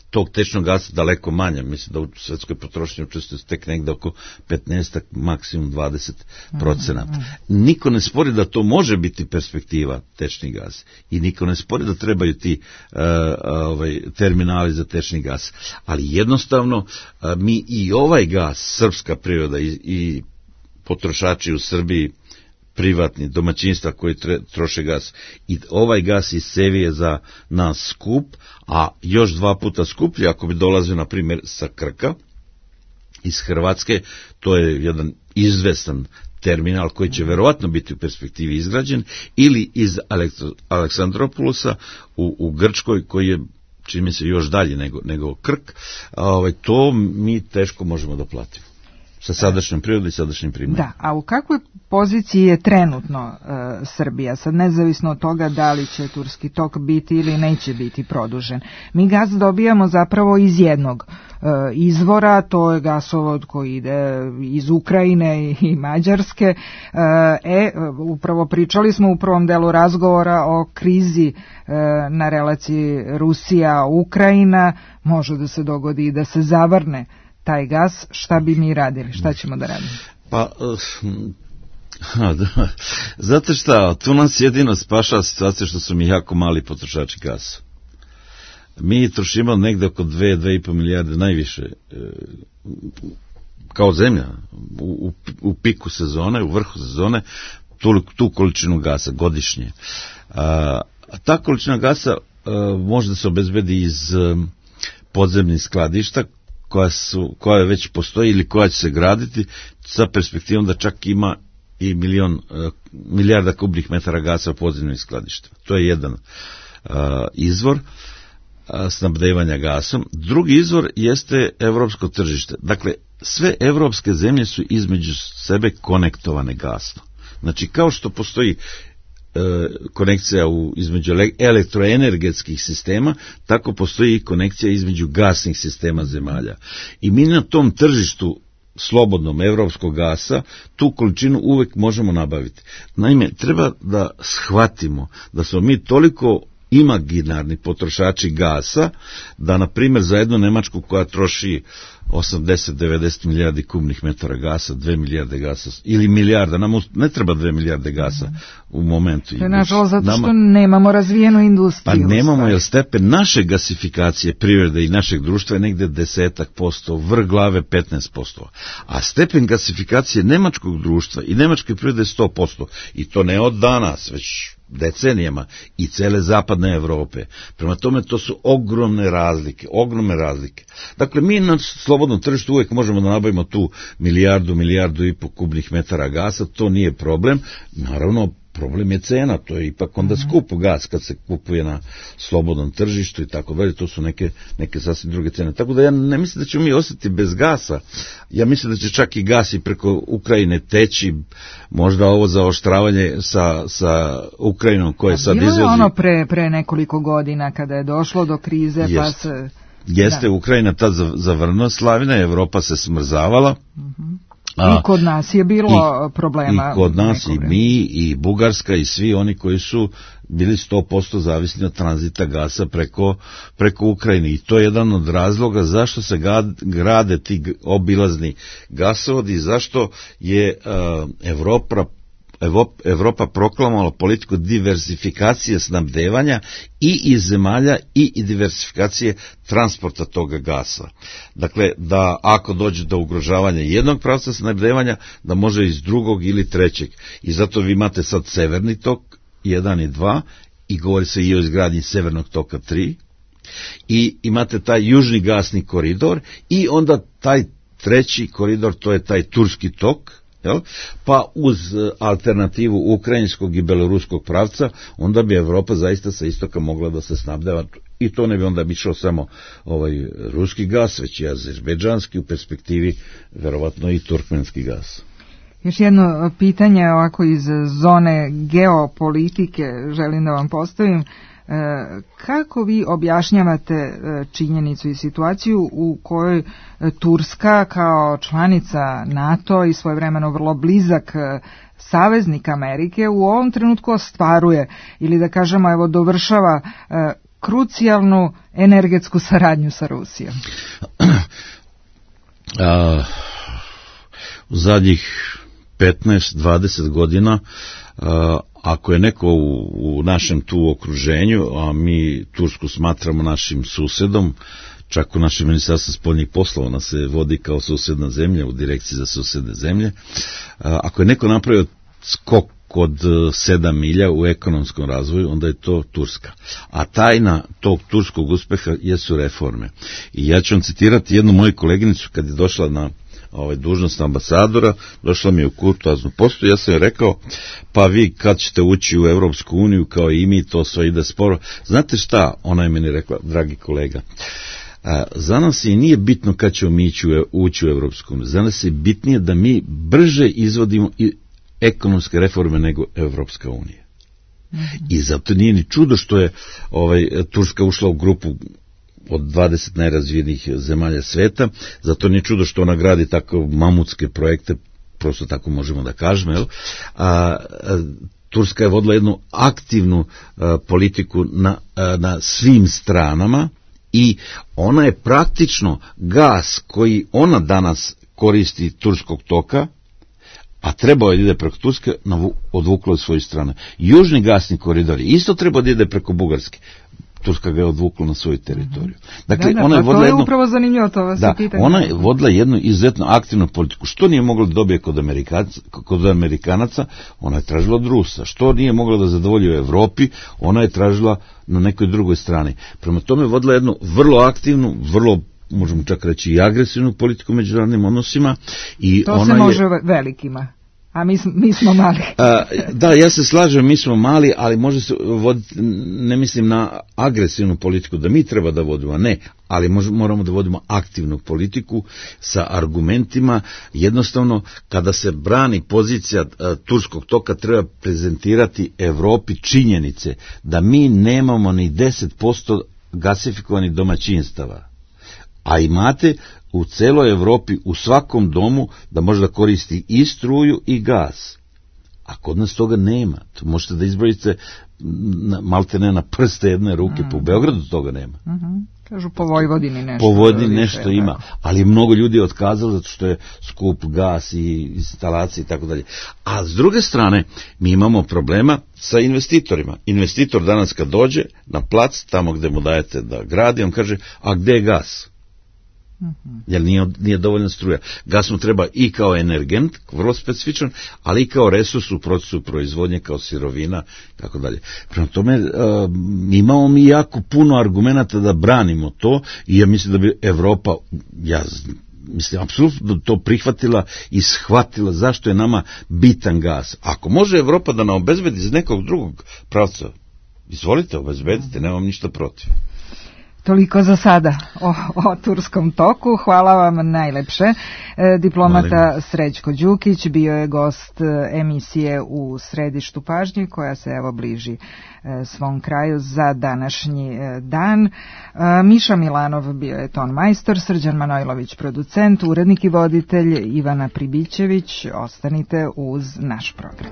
tog tečnog gasa daleko manja. Mislim da u svetskoj potrošnji učestvuje tek negde oko 15, maksimum 20%. Niko ne spori da to može biti perspektiva tečni gas i niko ne spori da trebaju ti terminali za tečni gas. Ali jednostavno mi i ovaj gas, srpska priroda i potrošači u Srbiji, privatni, domaćinstva koji troše gas, i ovaj gas iz Sevi je za nas skup, a još 2 puta skuplji ako bi dolazio na primjer sa Krka, iz Hrvatske. To je jedan izvestan terminal koji će verovatno biti u perspektivi izgrađen, ili iz Aleksandropolusa u Grčkoj, koji je, čini mi se, još dalje nego Krk. To mi teško možemo da platimo sa sadašnjom prirodom i sadašnjim primarima. Da, a u kakvoj poziciji je trenutno Srbija, sad nezavisno od toga da li će turski tok biti ili neće biti produžen? Mi gas dobijamo zapravo iz jednog izvora, to je gasovod koji ide iz Ukrajine i Mađarske. Upravo pričali smo u prvom delu razgovora o krizi na relaciji Rusija-Ukrajina, može da se dogodi i da se zavrne taj gas. Šta bi mi radili? Šta ćemo da radimo? Pa, znate šta, tu nas jedino spašava situacija što su mi jako mali potrošači gasa. Mi trošimo negde oko 2,5 milijarde najviše kao zemlja u piku sezone, u vrhu sezone, tu količinu gasa godišnje. Ta količina gasa može da se obezbedi iz podzemnih skladišta koja već postoji ili koja će se graditi, sa perspektivom da čak ima i milijarda kubnih metara gasa u podzemnim skladištima. To je jedan izvor snabdevanja gasom. Drugi izvor jeste evropsko tržište. Dakle, sve evropske zemlje su između sebe konektovane gasno. Znači, kao što postoji konekcija između elektroenergetskih sistema, tako postoji i konekcija između gasnih sistema zemalja. I mi na tom tržištu slobodnom evropskog gasa tu količinu uvek možemo nabaviti. Naime, treba da shvatimo da smo mi toliko imaginarni potrošači gasa, da na primjer za jednu Nemačku koja troši 80-90 milijardi kubnih metara gasa, 2 milijarde gasa, ili milijarda, nam ne treba 2 milijarde gasa u momentu. To je nažalost zato što nemamo razvijenu industriju. Pa nemamo, jer stepen naše gasifikacije privrede i našeg društva je negde 10%, vrh glave 15%. A stepen gasifikacije nemačkog društva i nemačke privrede je 100%. I to ne od danas, već decenijama, i cele zapadne Evrope. Prema tome, to su ogromne razlike. Dakle, mi na slobodnom tržištu uvijek možemo da nabavimo tu milijardu i po kubnih metara gasa, to nije problem. Naravno, problem je cena, to je ipak onda skup gas kad se kupuje na slobodnom tržištu i tako dalje, to su neke sasvim druge cene. Tako da ja ne mislim da ćemo mi ostati bez gasa, ja mislim da će čak i gas i preko Ukrajine teći, možda ovo zaoštravanje sa Ukrajinom koje sad izvozi. Bilo je ono pre nekoliko godina kada je došlo do krize, pa se... Jeste, Ukrajina tad zavrnula slavina, Evropa se smrzavala, I kod nas je bilo problema. I kod nas i mi, i Bugarska, i svi oni koji su bili 100% zavisni od tranzita gasa preko Ukrajine. I to je jedan od razloga zašto se grade ti obilazni gasovodi, zašto je Evropa proklamovala politiku diversifikacije snabdevanja i iz zemalja i diversifikacije transporta toga gasa. Dakle, da ako dođe do ugrožavanja jednog pravca snabdevanja, da može iz drugog ili trećeg. I zato vi imate sad severni tok 1 i 2 i govori se i o izgradnji severnog toka 3 i imate taj južni gasni koridor i onda taj treći koridor, to je taj turski tok, pa uz alternativu ukrajinskog i beloruskog pravca, onda bi Evropa zaista sa istoka mogla da se snabdeva i to ne bi onda išao samo ruski gas, već i azerbejdžanski, u perspektivi verovatno i turkmenski gas. Još jedno pitanje ovako iz zone geopolitike želim da vam postavim. Kako vi objašnjavate činjenicu i situaciju u kojoj Turska kao članica NATO i svojevremeno vrlo blizak saveznik Amerike u ovom trenutku ostvaruje ili da kažemo evo dovršava krucijalnu energetsku saradnju sa Rusijom? U zadnjih 15-20 godina ako je neko u našem tu okruženju, a mi Tursku smatramo našim susedom, čak u našem ministarstvu spoljnih poslova ona se vodi kao susedna zemlja u direkciji za susedne zemlje, ako je neko napravio skok od 7 milja u ekonomskom razvoju, onda je to Turska. A tajna tog turskog uspeha jesu reforme. I ja ću vam citirati jednu moju koleginicu kad je došla na dužnost ambasadora, došla mi je u kurtoaznu postu, ja sam joj rekao, pa vi kad ćete ući u Evropsku uniju kao i mi, to sve ide sporo. Znate šta, ona je meni rekla, dragi kolega, za nas i nije bitno kad ćemo mi ući u Evropsku uniju, za nas je bitnije da mi brže izvodimo i ekonomske reforme nego Evropska unija. I zato nije ni čudo što je Turska ušla u grupu od 20 najrazvijenijih zemalja sveta, zato nije čudo što ona gradi tako mamutske projekte, prosto tako možemo da kažemo, Turska je vodila jednu aktivnu politiku na svim stranama i ona je praktično gas koji ona danas koristi turskog toka, a trebao je da ide preko Turske, odvuklo od svoje strane. Južni gasni koridor isto trebao da ide preko Bugarske. Turska ga je odvukla na svoju teritoriju. Dakle, ona je vodila jednu, upravo zanimljivo to vas pitanje. Ona je vodila jednu izuzetno aktivnu politiku. Što nije mogla da dobije kod Amerikanaca, ona je tražila od Rusa. Što nije mogla da zadovolji u Evropi, ona je tražila na nekoj drugoj strani. Prema tome je vodila jednu vrlo aktivnu, vrlo možemo čak reći i agresivnu politiku u međunarodnim odnosima. I to se može velikima. A mi smo mali. Da, ja se slažem, mi smo mali, ali može se voditi, ne mislim na agresivnu politiku, da mi treba da vodimo, ne, ali moramo da vodimo aktivnu politiku sa argumentima. Jednostavno, kada se brani pozicija turskog toka, treba prezentirati Evropi činjenice da mi nemamo ni 10% gasifikovanih domaćinstava. A imate u celoj Evropi, u svakom domu, da može da koristi i struju i gas. A kod nas toga nema. To možete da izbrojite malte ne na prste jedne ruke, po Beogradu toga nema. Kažu po Vojvodini nešto. Po Vojvodini nešto ima, ali mnogo ljudi je otkazalo zato što je skup gas i instalacije i tako dalje. A s druge strane, mi imamo problema sa investitorima. Investitor danas kad dođe na plac, tamo gde mu dajete da gradi, on kaže, a gde je gas? Jer nije dovoljna struja. Gas mu treba i kao energent, vrlo specifičan, ali i kao resurs u procesu proizvodnje, kao sirovina, tako dalje. Prema tome, imamo mi jako puno argumenata da branimo to i ja mislim da bi Evropa, mislim, apsolutno to prihvatila i shvatila zašto je nama bitan gas. Ako može Evropa da nam obezbedi iz nekog drugog pravca, izvolite, obezbedite, nemam ništa protiv. Toliko za sada o turskom toku. Hvala vam najlepše. Diplomata Srećko Đukić bio je gost emisije U središtu pažnje, koja se evo bliži svom kraju za današnji dan. Miša Milanov bio je ton majstor, Srđan Manojlović producent, urednik i voditelj, Ivana Pribićević. Ostanite uz naš program.